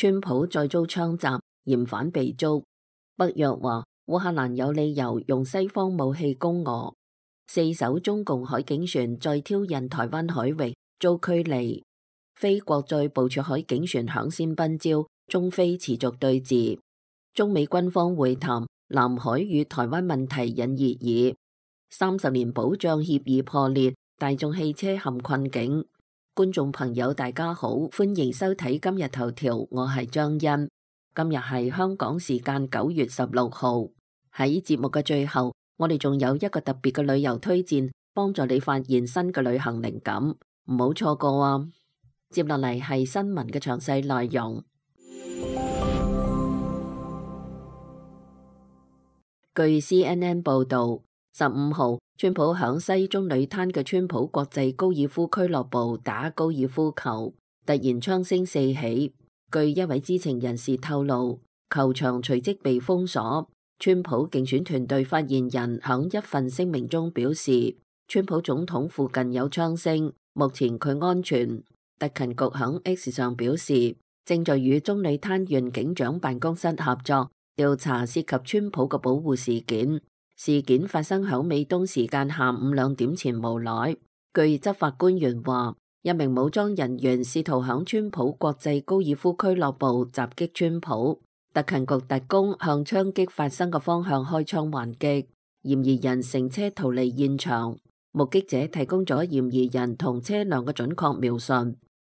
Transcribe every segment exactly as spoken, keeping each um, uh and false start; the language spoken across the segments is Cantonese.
川普再遭槍襲，嫌犯被捉。北約話烏克蘭有理由用西方武器攻俄。四艘中共海警船再挑釁台灣海域，遭驅離。菲國再部署海警船響線奔招，中菲持續對峙。中美軍方會談，南海與台灣問題引熱議。三十年保障協議破裂，大眾汽車陷困境。觀眾朋友大家好，歡迎收睇今日頭條，我係張欣。今日係香港時間九月十六號。喺節目嘅最後，我哋仲有一個特別嘅旅遊推薦，幫助你發現新嘅旅行靈感，唔好錯過啊！接落嚟係新聞嘅詳細內容。據 C N N 報道，十五號，川普響西中女灘嘅川普國際高爾夫俱樂部打高爾夫球，突然槍聲四起。據一位知情人士透露，球場隨即被封鎖。川普競選團隊發言人響一份聲明中表示，川普總統附近有槍聲，目前佢安全。特勤局響 X 上表示，正在與中女灘縣警長辦公室合作調查涉及川普嘅保護事件。事件發生響美東時間下午兩點前無耐。據執法官員話，一名武裝人員試圖響川普國際高爾夫俱樂部襲擊川普。特勤局特工向槍擊發生嘅方向開槍還擊，嫌疑人乘車逃離現場。目擊者提供咗嫌疑人同車輛嘅準確描述。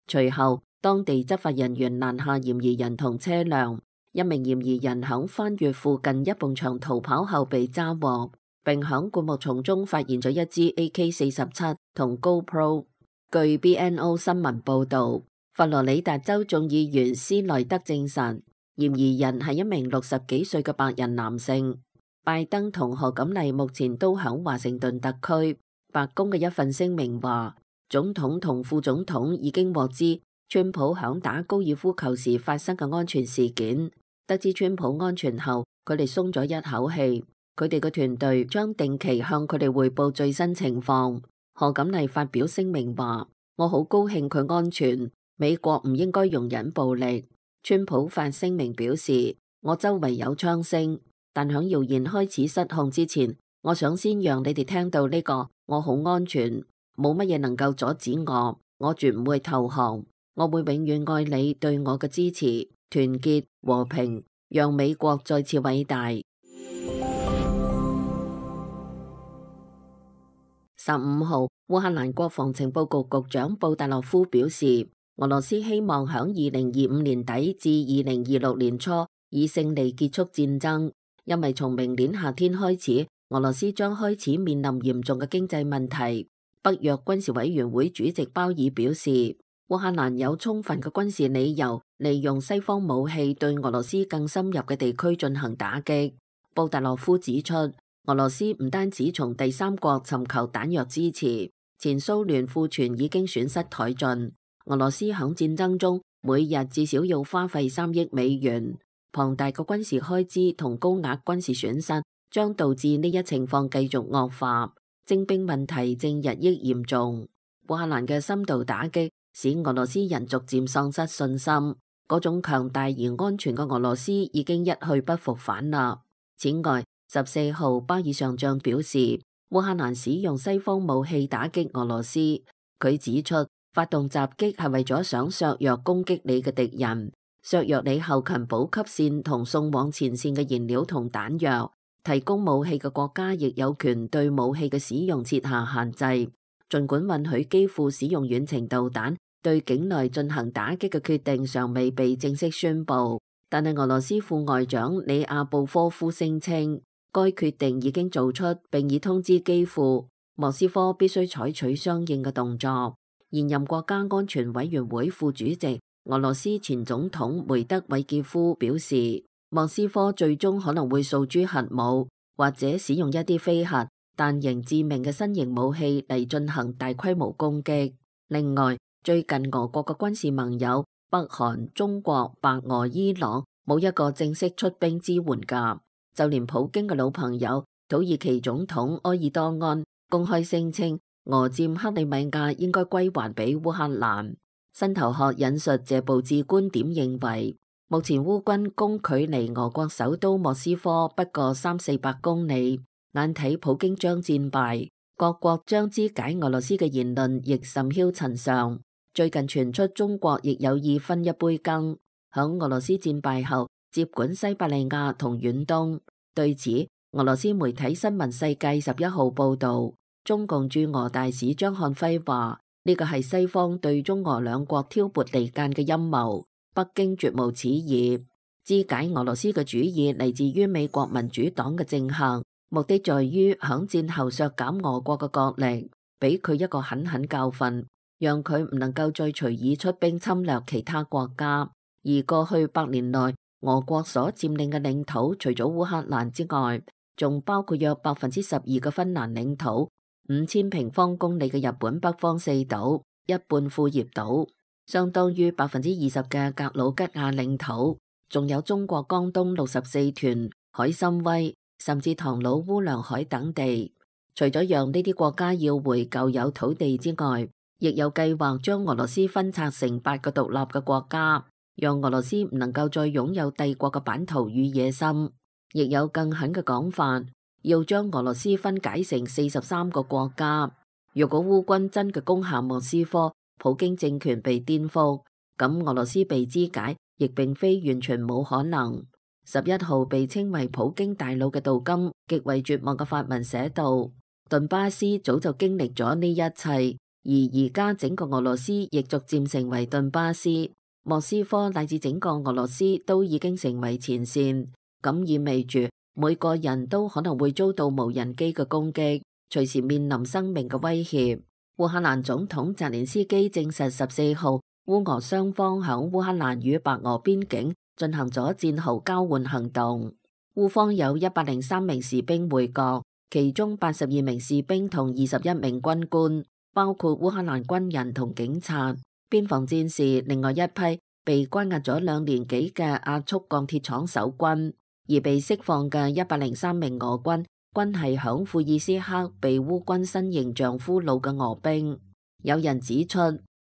隨後，當地執法人員攔下嫌疑人同車輛。一名嫌疑人響翻越附近一埲牆逃跑後被抓獲，並響灌木叢中發現咗一支 A K 四十七同 GoPro。據 B N O 新聞報道，佛羅里達州眾議員斯內德證實，嫌疑人係一名六十幾歲嘅白人男性。拜登同賀錦麗目前都響華盛頓特區。白宮嘅一份聲明話，總統同副總統已經獲知川普響打高爾夫球時發生嘅安全事件。得知川普安全後，佢哋鬆咗一口氣。佢哋嘅團隊將定期向佢哋匯報最新情況。賀錦麗發表聲明話，我好高興佢安全，美國唔應該容忍暴力。川普發聲明表示，我周圍有槍聲，但響謠言開始失控之前，我想先讓你哋聽到呢個，我好安全，冇乜嘢能夠阻止我，我絕唔會投降，我會永遠愛你對我嘅支持、團結、和平，讓美國再次偉大。十五號，烏克蘭國防情報局局長布達洛夫表示，俄羅斯希望響二零二五年底至二零二六年初以勝利結束戰爭，因為從明年夏天開始，俄羅斯將開始面臨嚴重嘅經濟問題。北約軍事委員會主席鮑爾表示，烏克蘭有充分嘅軍事理由利用西方武器對俄羅斯更深入嘅地區進行打擊。布達洛夫指出，俄羅斯唔單止從第三國尋求彈藥支持，前蘇聯庫存已經損失殆盡。俄羅斯響戰爭中每日至少要花費三億美元，龐大嘅軍事開支同高額軍事損失將導致呢一情況繼續惡化，徵兵問題正日益嚴重。烏克蘭嘅深度打擊使俄羅斯人逐漸喪失信心，嗰種強大而安全嘅俄羅斯已經一去不復返啦。此外，十四號巴爾上將表示，烏克蘭使用西方武器打擊俄羅斯。佢指出，發動襲擊係為咗想削弱攻擊你嘅敵人，削弱你後勤補給線同送往前線嘅燃料同彈藥。提供武器嘅國家亦有權對武器嘅使用設下限制。儘管允許基輔使用遠程導彈對境內進行打擊嘅決定尚未被正式宣布，但係俄羅斯副外長里亞布科夫聲稱，該決定已經做出，並已通知基輔，莫斯科必須採取相應嘅動作。現任國家安全委員會副主席、俄羅斯前總統梅德韋傑夫表示，莫斯科最終可能會訴諸核武，或者使用一啲非核但仍致命嘅新型武器嚟進行大規模攻擊。另外，最近俄國嘅軍事盟友北韓、中國、白俄、伊朗冇一個正式出兵支援㗎。就連普京嘅老朋友土耳其總統埃爾多安公開聲稱，俄佔克里米亞應該歸還俾烏克蘭。新頭殼引述謝暴志觀點認為，目前烏軍攻距離俄國首都莫斯科不過三四百公里，眼睇普京將戰敗，各國將肢解俄羅斯嘅言論亦甚囂塵上。最近傳出中國亦有意分一杯羹，響俄羅斯戰敗後接管西伯利亞同遠東。對此，俄羅斯媒體新聞世界十一號報道，中共駐俄大使張漢輝話：呢個係西方對中俄兩國挑撥離間嘅陰謀，北京絕無此意。肢解俄羅斯嘅主意嚟自於美國民主黨嘅政客，目的在於響戰後削減俄國嘅國力，俾佢一個狠狠教訓，讓佢唔能夠再隨意出兵侵略其他國家。而過去百年內，俄國所佔領嘅領土，除咗烏克蘭之外，仲包括約百分之十二嘅芬蘭領土、五千平方公里嘅日本北方四島、一半庫頁島，相當於百分之二十嘅格魯吉亞領土，仲有中國江東六十四團、海參崴，甚至唐魯烏梁海等地。除咗讓呢啲國家要回舊有土地之外，亦有計劃將俄羅斯分拆成八個獨立嘅國家，讓俄羅斯唔能夠再擁有帝國嘅版圖與野心。亦有更狠嘅講法，要將俄羅斯分解成四十三個國家。如果烏軍真嘅攻下莫斯科，普京政權被顛覆，咁俄羅斯被肢解亦並非完全冇可能。十一號被稱為普京大腦嘅杜金極為絕望嘅發文寫道：頓巴斯早就經歷咗呢一切，而而家整個俄羅斯亦逐漸成為頓巴斯，莫斯科乃至整個俄羅斯都已經成為前線。咁意味住每個人都可能會遭到無人機嘅攻擊，隨時面臨生命嘅威脅。烏克蘭總統澤連斯基證實十四號烏俄雙方響烏克蘭與白俄邊境進行咗戰壕交換行動。烏方有一百零三名士兵回國，其中八十二名士兵同二十一名軍官，包括烏克蘭軍人同警察、邊防戰士，另外一批被關押咗兩年幾嘅亞速鋼鐵廠守軍。而被釋放嘅一百零三名俄軍，均係響庫爾斯克被烏軍新形象俘虜嘅俄兵。有人指出，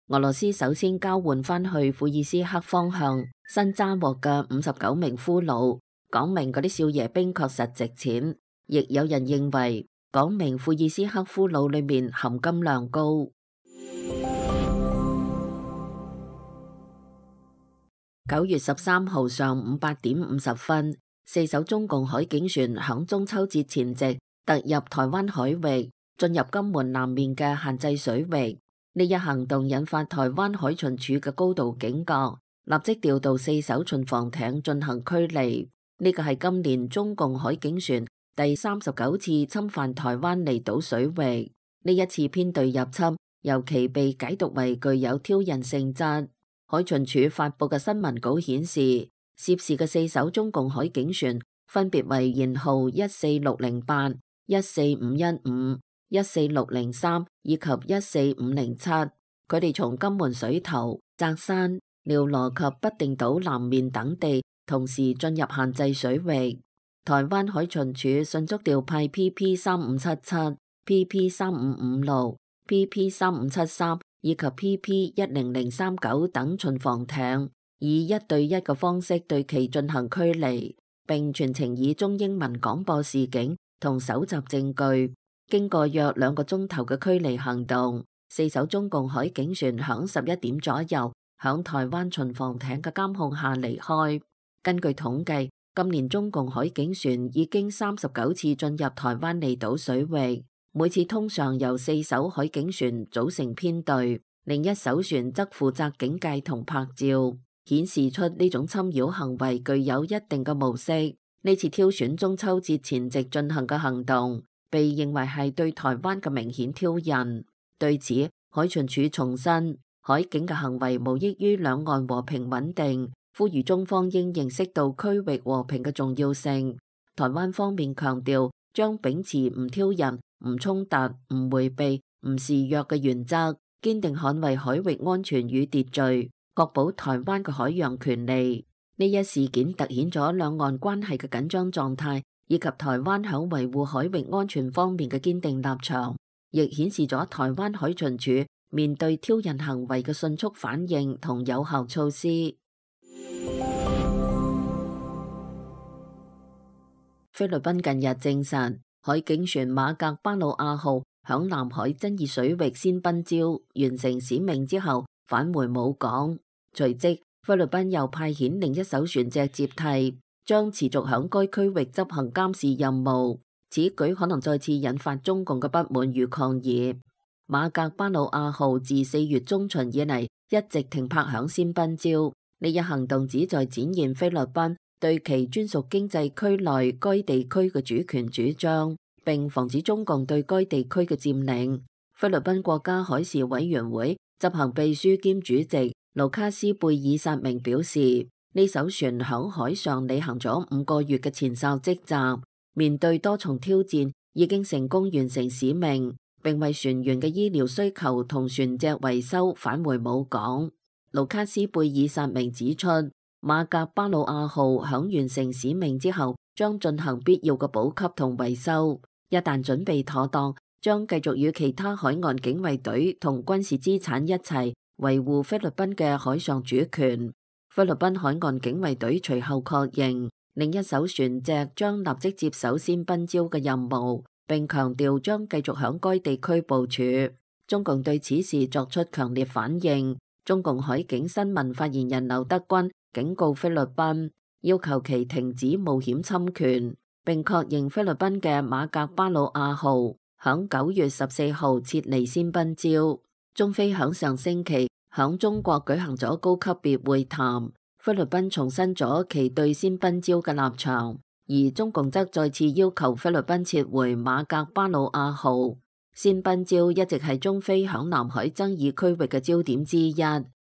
俄羅斯首先交換翻去庫爾斯克方向新揸獲嘅五十九名俘虜，講明嗰啲少爺兵確實值錢。亦有人認為，講明庫爾斯克俘虜裏面含金量高。九月十三號上午八點五十分。四艘中共海警船響中秋節前夕突入台灣海域，進入金門南面嘅限制水域。呢一行動引發台灣海巡署嘅高度警覺，立即調度四艘巡防艇進行驅離。呢個係今年中共海警船第三十九次侵犯台灣離島水域。呢一次編隊入侵，尤其被解讀為具有挑釁性質。海巡署發佈嘅新聞稿顯示，涉事嘅四艘中共海警船分別為舷號一四六零八、一四五一五、一四六零三以及一四五零七。佢哋從金門水頭、澤山、廖羅及不定島南面等地同時進入限制水域。台灣海巡署迅速調派 P P 三五七七、P P 三五五六、P P 三五七三以及 P P 一零零三九等巡防艇，以一對一嘅方式對其進行驅離，並全程以中英文廣播示警同搜集證據。經過約兩個鐘頭嘅驅離行動，四艘中共海警船響十一點左右響台灣巡防艇嘅監控下離開。根據統計，今年中共海警船已經三十九次進入台灣離島水域，每次通常由四艘海警船組成編隊，另一艘船則負責警戒同拍照，顯示出呢種侵擾行為具有一定嘅模式。呢次挑選中秋節前夕進行嘅行動，被認為係對台灣嘅明顯挑釁。對此，海巡署重申，海警嘅行為無益於兩岸和平穩定，呼籲中方應認識到區域和平嘅重要性。台灣方面強調，將秉持唔挑釁、唔衝突、唔迴避、唔示弱嘅原則，堅定捍衛海域安全與秩序，確保台灣嘅海洋權利。呢一事件凸顯咗兩岸關係嘅緊張狀態，以及台灣響維護海域安全方面嘅堅定立場，亦顯示咗台灣海巡署面對挑釁行為嘅迅速反應同有效措施。菲律賓近日證實，海警船馬格巴魯亞號響南海爭議水域先賓礁，完成使命之後返回母港。隨即，菲律賓又派遣另一艘船隻接替，將持續響該區域執行監視任務。此舉可能再次引發中共嘅不滿與抗議。馬格巴魯亞號自四月中旬以嚟一直停泊響先賓礁，呢一行動旨在展現菲律賓對其專屬經濟區內該地區嘅主權主張，並防止中共對該地區嘅佔領。菲律賓國家海事委員會執行秘書兼主席盧卡斯貝爾薩明表示，呢艘船響海上履行咗五個月嘅前哨職責，面對多重挑戰，已經成功完成使命，並為船員嘅醫療需求同船隻維修返回母港。盧卡斯貝爾薩明指出，馬格巴魯亞號響完成使命之後，將進行必要嘅補給同維修。一旦準備妥當，將繼續與其他海岸警衛隊同軍事資產一齊維護菲律賓嘅海上主權。菲律賓海岸警衛隊隨後確認，另一艘船隻將立即接手先賓礁嘅任務，並強調將繼續響該地區部署。中共對此事作出強烈反應。中共海警新聞發言人劉德軍警告菲律賓，要求其停止冒險侵權，並確認菲律賓嘅馬格巴魯亞號響九月十四號撤離先賓礁。中菲響上星期響中國舉行咗高級別會談，菲律賓重申咗其對先賓礁嘅立場，而中共則再次要求菲律賓撤回馬格巴魯亞號。先賓礁一直係中菲響南海爭議區域嘅焦點之一，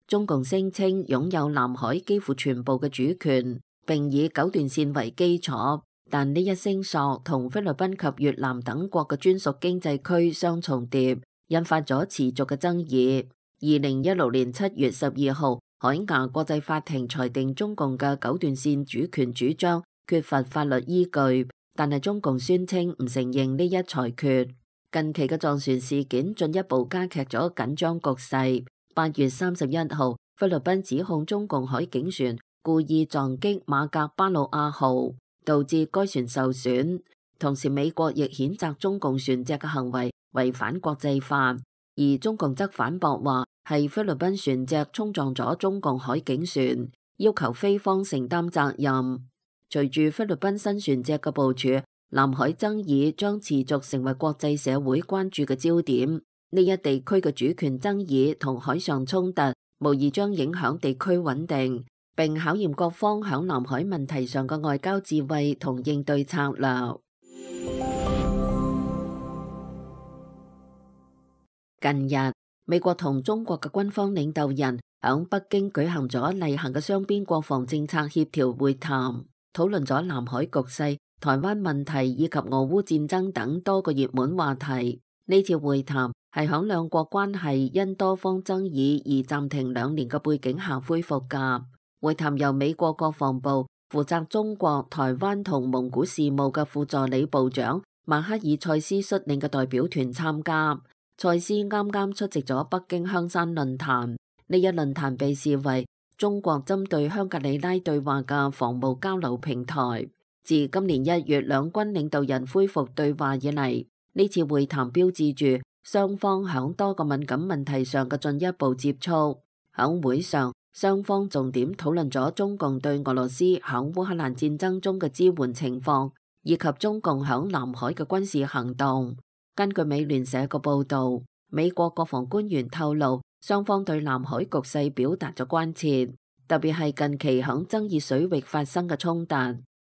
中共聲稱擁有南海幾乎全部嘅主權，並以九段線為基礎，但呢一聲索同菲律賓及越南等國嘅專屬經濟區相重疊，引發咗持續嘅爭議。二零一六年七月十二號，海牙國際法庭裁定中共嘅九段線主權主張缺乏法律依據，但係中共宣稱唔承認呢一裁決。近期嘅撞船事件進一步加劇咗緊張局勢。八月三十一號，菲律賓指控中共海警船故意撞擊馬格巴魯亞號，導致該船受損。同時，美國亦譴責中共船隻嘅行為違反國際法，而中共則反駁話係菲律賓船隻衝撞咗中共海警船，要求菲方承擔責任。隨住菲律賓新船隻嘅部署，南海爭議將持續成為國際社會關注嘅焦點。呢一地區嘅主權爭議同海上衝突，無疑將影響地區穩定，並考驗各方響南海問題上嘅外交智慧同應對策略。近日，美國同中國嘅軍方領導人響北京舉行咗例行嘅雙邊國防政策協調會談，討論咗南海局勢、台灣問題以及俄烏戰爭等多個熱門話題。呢次會談係響兩國關係因多方爭議而暫停兩年嘅背景下恢復㗎。會談由美國國防部負責中國、台灣同蒙古事務嘅副助理部長馬克爾塞斯率領嘅代表團參加。塞斯啱啱出席咗北京香山論壇，呢一論壇被視為中國針對香格里拉對話嘅防務交流平台。自今年一月兩軍領導人恢復對話以嚟，呢次會談標誌住雙方響多個敏感問題上嘅進一步接觸。響會上，雙方重點討論咗中共對俄羅斯響烏克蘭戰爭中嘅支援情況，以及中共響南海嘅軍事行動。根據美聯社嘅報道，美國國防官員透露，雙方對南海局勢表達咗關切，特別係近期響爭議水域發生嘅衝突。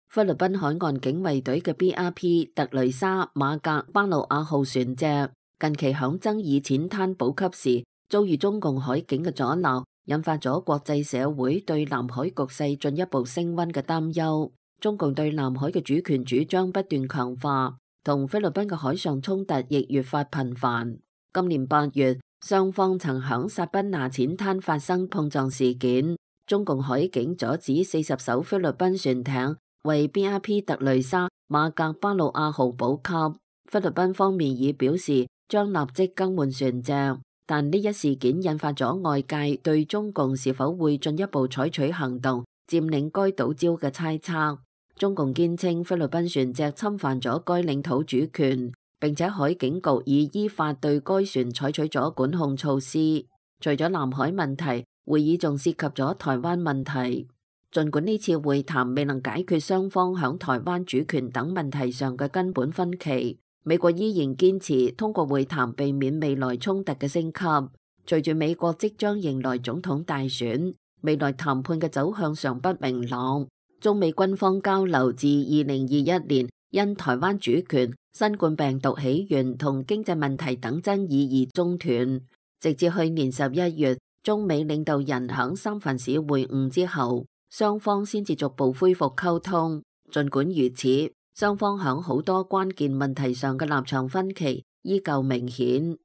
菲律賓海岸警衛隊嘅 B R P 特雷莎馬格巴魯亞號船隻近期響爭議淺灘補給時遭遇中共海警嘅阻撓，引發咗國際社會對南海局勢進一步升溫嘅擔憂。中共對南海嘅主權主張不斷強化，同菲律賓嘅海上衝突亦越發頻繁。今年八月，雙方曾響薩賓拿淺灘發生碰撞事件，中共海警阻止四十艘菲律賓船艇為 B R P 特雷莎馬格巴魯亞號補給。菲律賓方面已表示將立即更換船隻，但呢一事件引發咗外界對中共是否會進一步採取行動佔領該島礁嘅猜測。中共堅稱菲律賓船隻侵犯咗該領土主權，並且海警局已依法對該船採取咗管控措施。除咗南海問題，會議仲涉及咗台灣問題。儘管呢次會談未能解決雙方響台灣主權等問題上嘅根本分歧，美國依然堅持通過會談避免未來衝突嘅升級。隨住美國即將迎來總統大選，未來談判嘅走向尚不明朗。中美軍方交流自二零二一年因台灣主權、新冠病毒起源同經濟問題等爭議而中斷，直至去年十一月，中美領導人響三藩市會晤之後，雙方先至逐步恢復溝通。儘管如此，雙方響好多關鍵問題上嘅立場分歧依舊明顯。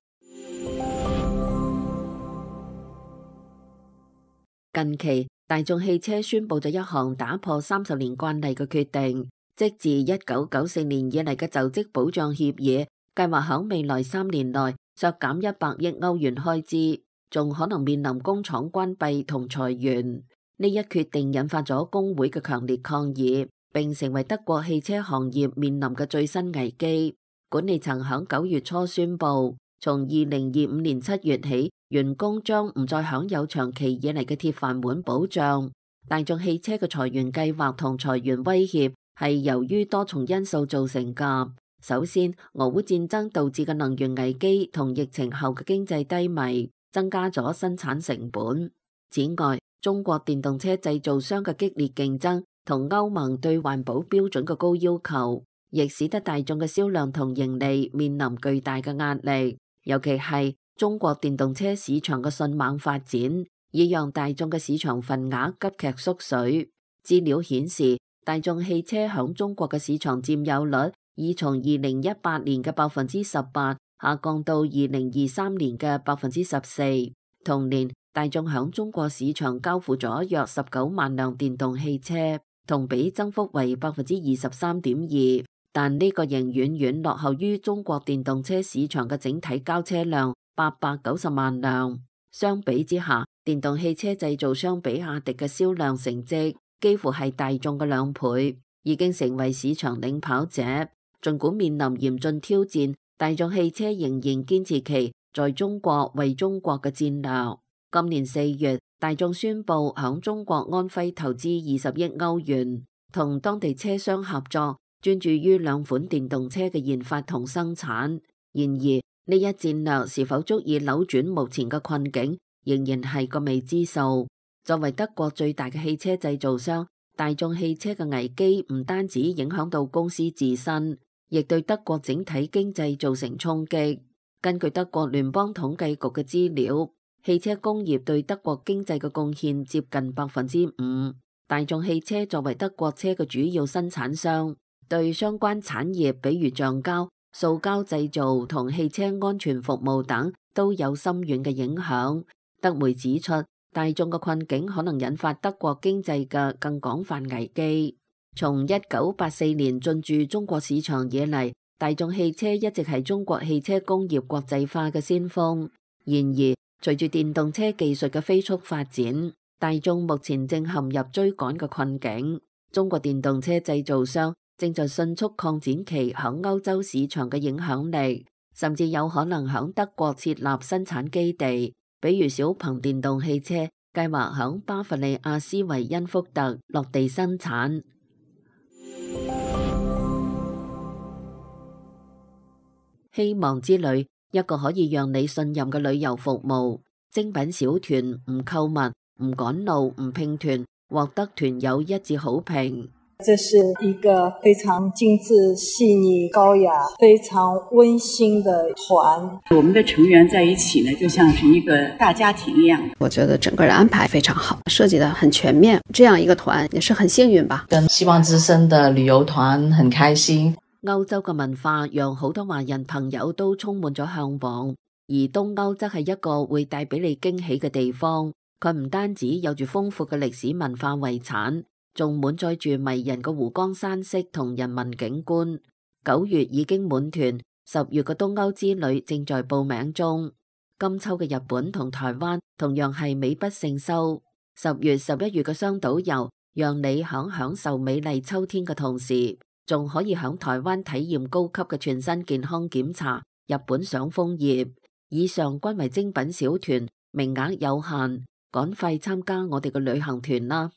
近期，大眾汽車宣布咗一項打破三十年慣例嘅決定，即自一九九四年以嚟嘅就職保障協議，計劃響未來三年內削減一百億歐元開支，仲可能面臨工廠關閉同裁員。呢一決定引發咗工會嘅強烈抗議，並成為德國汽車行業面臨嘅最新危機。管理層響九月初宣布，從二零二五年七月起，員工將唔再享有長期以嚟嘅鐵飯碗保障。大眾汽車嘅裁員計劃同裁員威脅係由於多重因素造成㗎。首先，俄烏戰爭導致嘅能源危機同疫情後嘅經濟低迷，增加咗生產成本。此外，中國電動車製造商嘅激烈競爭同歐盟對環保標準嘅高要求，亦使得大眾嘅銷量同盈利面臨巨大嘅壓力。尤其係中國電動車市場嘅迅猛發展，已讓大眾嘅市場份額急劇縮水。資料顯示，大眾汽車響中國嘅市場佔有率已從二零一八年嘅百分之十八下降到二零二三年嘅百分之十四。同年，大眾響中國市場交付咗約十九萬輛電動汽車，同比增幅為百分之二十三點二。但呢個仍遠遠落後於中國電動車市場嘅整體交車量八百九十萬輛。相比之下，電動汽車製造商比亞迪嘅銷量成績幾乎係大眾嘅兩倍，已經成為市場領跑者。儘管面臨嚴峻挑戰，大眾汽車仍然堅持其在中國為中國嘅戰略。今年四月，大眾宣布響中國安徽投資二十億歐元，同當地車商合作，專注於兩款電動車嘅研發同生產。然而，呢一戰略是否足以扭轉目前嘅困境，仍然係個未知數。作為德國最大嘅汽車製造商，大眾汽車嘅危機唔單止影響到公司自身，亦對德國整體經濟造成衝擊。根據德國聯邦統計局嘅資料，汽車工業對德國經濟嘅貢獻接近百分之五。大眾汽車作為德國車嘅主要生產商，對相關產業，比如橡膠、塑膠製造同汽車安全服務等，都有深遠嘅影響。德媒指出，大眾嘅困境可能引發德國經濟嘅更廣泛危機。從一九八四年進駐中國市場以嚟，大眾汽車一直係中國汽車工業國際化嘅先鋒。然而，隨住電動車技術嘅飛速發展，大眾目前正陷入追趕嘅困境。中國電動車製造商正在迅速擴展其響歐洲市場嘅影響力，甚至有可能響德國設立生產基地。比如小鵬電動汽車計劃響巴伐利亞斯維恩福特落地生產。希望之旅，一個可以讓你信任嘅旅遊服務。精品小團，唔購物、唔趕路、唔拼團，獲得團友一致好評。這是一個非常精緻、細膩、高雅、非常溫馨的團。我們的成員在一起呢，就像是一個大家庭一樣。我覺得整個的安排非常好，設計得很全面。這樣一個團也是很幸運吧。跟希望之聲的旅遊團很開心。歐洲嘅文化讓好多華人朋友都充滿咗向往，而東歐則係一個會帶俾你驚喜嘅地方。佢唔單止有住豐富嘅歷史文化遺產，仲滿載住迷人嘅湖光山色同人文景觀。九月已經滿團，十月嘅東歐之旅正在報名中。今秋嘅日本同台灣同樣係美不勝收。十月、十一月嘅雙島遊讓你響享受美麗秋天嘅同時，仲可以響台灣體驗高級嘅全身健康檢查、日本賞楓葉。以上均為精品小團，名額有限，趕快參加我哋嘅旅行團啦！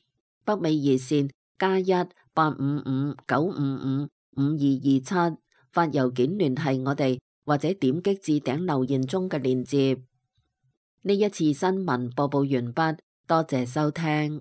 北美熱線加一八五五九五五五二二七，發郵件聯繫我哋，或者點擊置頂留言中嘅鏈接。呢一次新聞播報完畢，多謝收聽。